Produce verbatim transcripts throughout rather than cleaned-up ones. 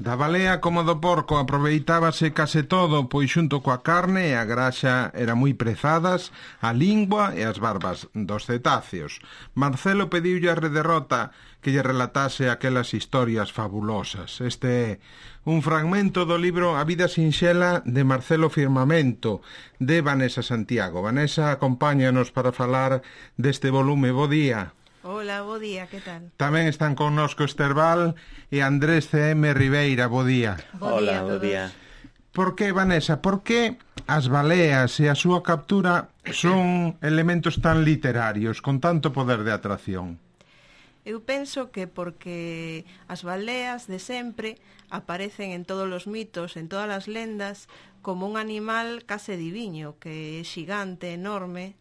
Da balea como do porco aproveitábase case todo, pois xunto coa carne e a graxa eran moi prezadas a lingua e as barbas dos cetáceos. Marcelo pediulle a Rederrota que lle relatase aquelas historias fabulosas. Este é un fragmento do libro A vida sinxela de Marcelo Firmamento, de Vanessa Santiago. Vanessa, acompáñanos para falar deste volume. Bo día. Hola, bo día, que tal? Tamén están connosco Esther Val e Andrés C M Ribeira, bo día. Bo día. Hola, bo día. Por que, Vanessa, por que as baleas e a súa captura son elementos tan literarios, con tanto poder de atracción? Eu penso que porque as baleas de sempre aparecen en todos os mitos, en todas as lendas, como un animal case diviño, que é xigante, enorme,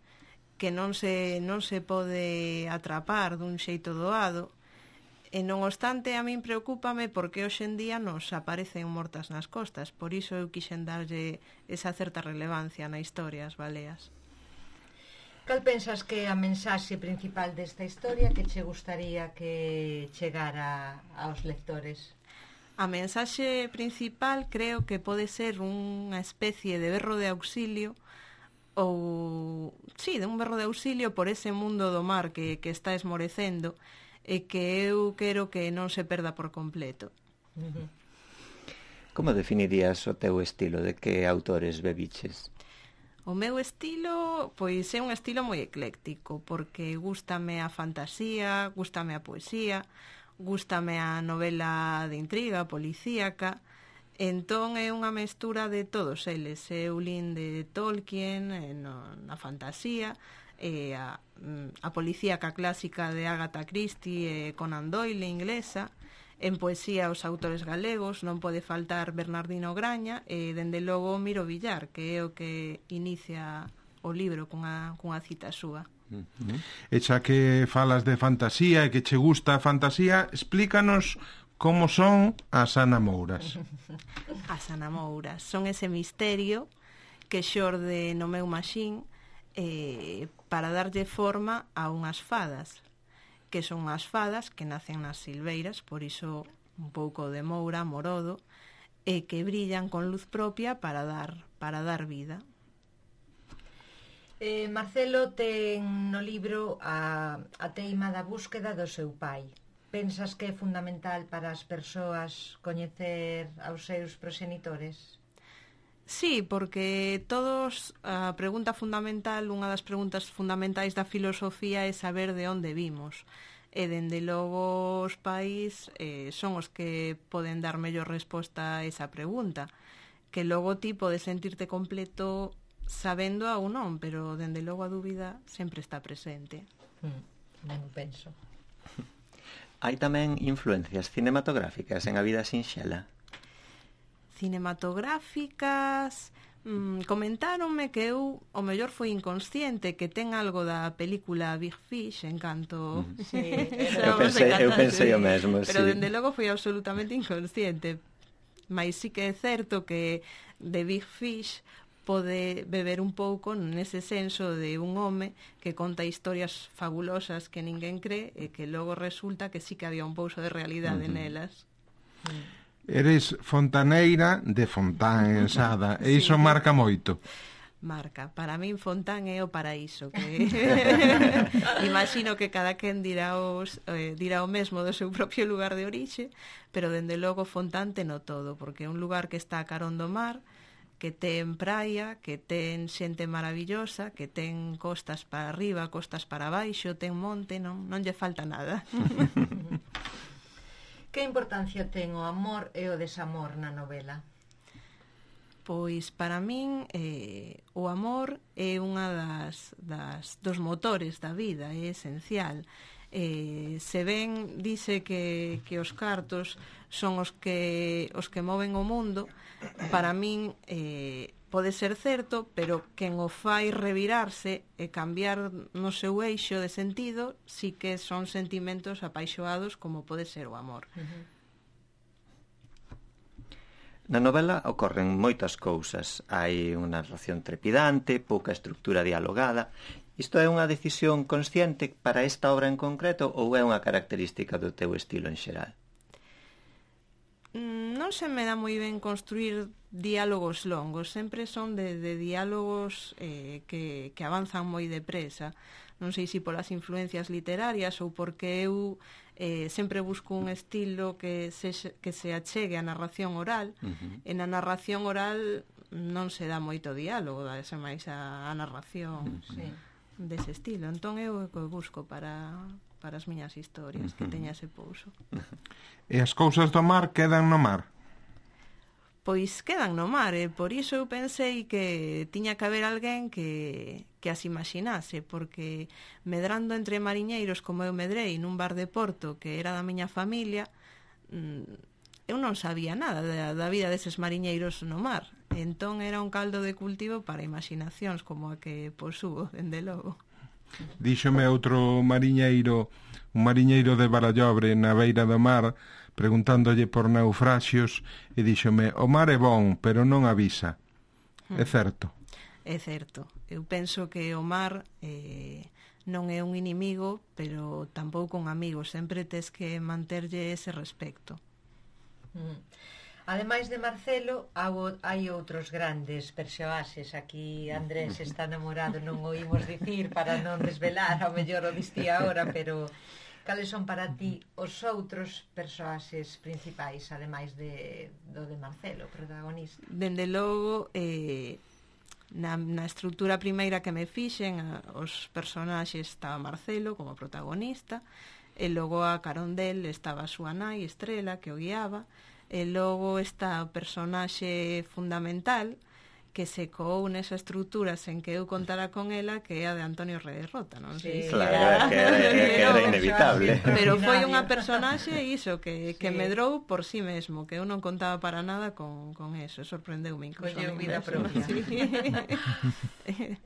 que non se, non se pode atrapar dun xeito doado, e non obstante a min preocúpame porque hoxe en día nos aparecen mortas nas costas, por iso eu quixen darlle esa certa relevancia na historia as baleas. Cal pensas que é a mensaxe principal desta historia que che gustaría que chegara aos lectores? A mensaxe principal creo que pode ser unha especie de berro de auxilio ou, sí, de un berro de auxilio por ese mundo do mar que, que está esmorecendo e que eu quero que non se perda por completo. Uh-huh. Como definirías o teu estilo? De que autores bebiches? O meu estilo, pois é un estilo moi ecléctico, porque gústame a fantasía, gústame a poesía, gústame a novela de intriga, policíaca. Entón é unha mestura de todos eles. Eu lín de Tolkien, no, na fantasía, e a, a policíaca clásica de Agatha Christie e Conan Doyle inglesa. En poesía os autores galegos, non pode faltar Bernardino Graña e, dende logo, Miro Villar, que é o que inicia o libro cunha, cunha cita súa. Uh-huh. E xa que falas de fantasía e que che gusta a fantasía, explícanos como son as anamouras. As anamouras son ese misterio que xorde no meu maxín eh, para darlle forma a unhas fadas, que son as fadas que nacen nas silveiras, por iso un pouco de moura, morodo, e que brillan con luz propia para dar, para dar vida. Eh, Marcelo ten no libro a, a teima da búsqueda do seu pai. Pensas que é fundamental para as persoas coñecer aos seus proxenitores? Sí, porque todos, a pregunta fundamental, unha das preguntas fundamentais da filosofía é saber de onde vimos. E, dende logo, os pais eh, son os que poden dar mellor resposta a esa pregunta. Que logo ti podes sentirte completo sabendo a ou non, pero, dende logo, a dúbida sempre está presente. Mm, non penso. Hai tamén influencias cinematográficas en A vida sinxela? Cinematográficas... Mm, comentáronme que eu, o mellor foi inconsciente, que ten algo da película Big Fish en canto... Mm. Sí, eu, pensei, eu pensei o mesmo, pero sí. dende logo foi absolutamente inconsciente. Mais sí que é certo que de Big Fish pode beber un pouco nese senso de un home que conta historias fabulosas que ninguén cree e que logo resulta que sí que había un pouso de realidade uh-huh. nelas. Eres fontaneira de Fontán Ensada, e iso sí. Marca moito. Marca, para min Fontán é o paraíso, que imagino que cada quen dirá, os, eh, dirá o mesmo do seu propio lugar de orixe, pero dende logo Fontán ten o todo, porque é un lugar que está a carón do mar, que ten praia, que ten xente maravillosa, que ten costas para arriba, costas para baixo, ten monte, non, non lle falta nada. Que importancia ten o amor e o desamor na novela? Pois para min eh, o amor é unha das, das dos motores da vida, é esencial. Eh, se ben dice que, que os cartos son os que os que moven o mundo, para min eh, pode ser certo, pero quen o fai revirarse e cambiar no seu eixo de sentido, sí que son sentimentos apaixoados como pode ser o amor. Uh-huh. Na novela ocorren moitas cousas. Hai unha narración trepidante, pouca estructura dialogada. Isto é unha decisión consciente para esta obra en concreto ou é unha característica do teu estilo en xeral? Non non se me dá moi ben construir diálogos longos, sempre son de, de diálogos eh, que, que avanzan moi depresa. Non sei se polas influencias literarias ou porque eu eh, sempre busco un estilo que se, que se achegue á narración oral. Uh-huh. E na narración oral non se dá moito diálogo, dase máis a, a narración uh-huh. dese estilo. Entón eu o busco para... para as miñas historias, que teña ese pouso. E as cousas do mar quedan no mar? Pois quedan no mar, e por iso eu pensei que tiña que haber alguén que, que as imaginase, porque medrando entre mariñeiros como eu medrei nun bar de Porto que era da miña familia, eu non sabía nada da, da vida deses mariñeiros no mar. Entón era un caldo de cultivo para imaginacións como a que posúo, dende logo. Díxome outro mariñeiro, un mariñeiro de Barallobre na beira do mar, preguntándolle por naufraxios, e díxome, o mar é bon, pero non avisa. Hmm. É certo? É certo. Eu penso que o mar eh, non é un inimigo, pero tampouco un amigo. Sempre tes que manterlle ese respecto. Hmm. Ademais de Marcelo, hai outros grandes persoaxes. Aquí Andrés está namorado, non o imos dicir para non desvelar, ao mellor o distía agora, pero cales son para ti os outros persoaxes principais, ademais de, do de Marcelo, protagonista? Dende logo, eh, na, na estrutura primeira que me fixen, os personaxes estaba Marcelo como protagonista, e logo a carón del estaba a súa nai, Estrela, que o guiaba, e logo está o personaxe fundamental que se coou nesa estrutura sen que eu contara con ela, que é a de Antonio Rederrota, non sei? Sí, claro, era, que era, que era inevitable. Pero foi unha personaxe iso que, que sí. medrou por sí mesmo, que eu non contaba para nada con, con eso, sorprendeume incluso. Colleu vida propia. Sí.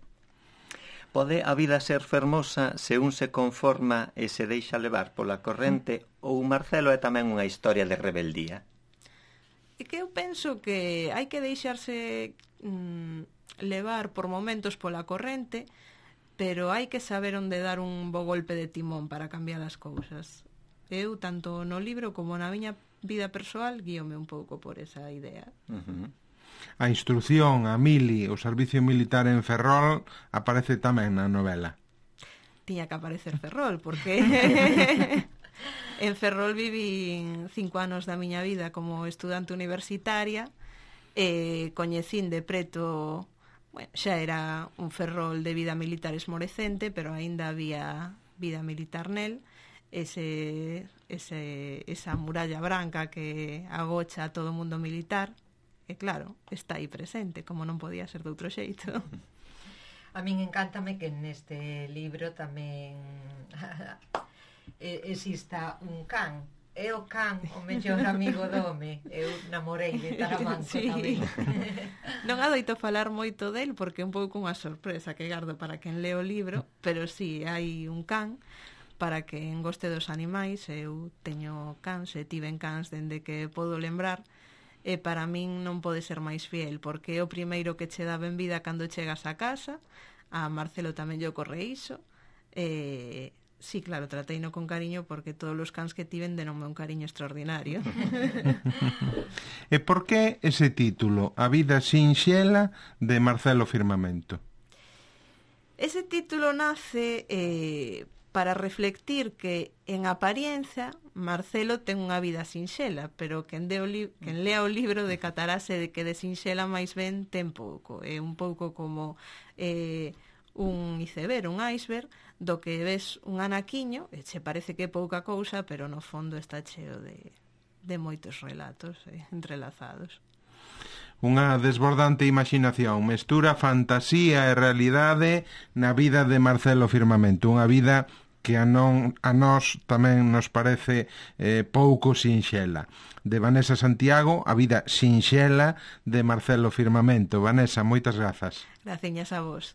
Pode a vida ser fermosa se un se conforma e se deixa levar pola corrente, ou Marcelo é tamén unha historia de rebeldía? É que eu penso que hai que deixarse mm, levar por momentos pola corrente, pero hai que saber onde dar un bo golpe de timón para cambiar as cousas. Eu, tanto no libro como na miña vida persoal, guíome un pouco por esa idea. Uh-huh. A instrucción, a mili, o servicio militar en Ferrol aparece tamén na novela. Tiña que aparecer Ferrol, porque... En Ferrol viví cinco anos da miña vida como estudante universitaria e coñecín de preto, bueno, xa era un Ferrol de vida militar esmorecente, pero aínda había vida militar nel, ese, ese, esa muralla branca que agocha a todo o mundo militar, e claro, está aí presente, como non podía ser de outro xeito. A min encántame que neste libro tamén... exista un can. É o can o mellor amigo do home. Eu namorei de Taramanco sí. tamén. Non adoito falar moito del porque é un pouco unha sorpresa que gardo para quen leo o libro, pero sí, hai un can para quen goste dos animais. Eu teño cans e tiven cans dende que podo lembrar, e para min non pode ser máis fiel, porque é o primeiro que che dá ben vida cando chegas a casa. A Marcelo tamén lle ocorre iso, e... Sí, claro, trateino con cariño porque todos os cans que tiven denonme un cariño extraordinario. E por que ese título, A vida sinxela de Marcelo Firmamento? Ese título nace eh, para reflectir que en apariencia Marcelo ten unha vida sinxela, pero quen, de o li- quen lea o libro decatarase de que de sinxela máis ben ten pouco. É un pouco como... Eh, un iceberg, un iceberg, do que ves un anaquiño, e che parece que é pouca cousa, pero no fondo está cheo de, de moitos relatos eh, entrelazados. Unha desbordante imaginación, mestura fantasía e realidade na vida de Marcelo Firmamento, unha vida que a, non, a nós tamén nos parece eh, pouco sinxela. De Vanessa Santiago, A vida sinxela de Marcelo Firmamento. Vanessa, moitas grazas. Graciñas a vos.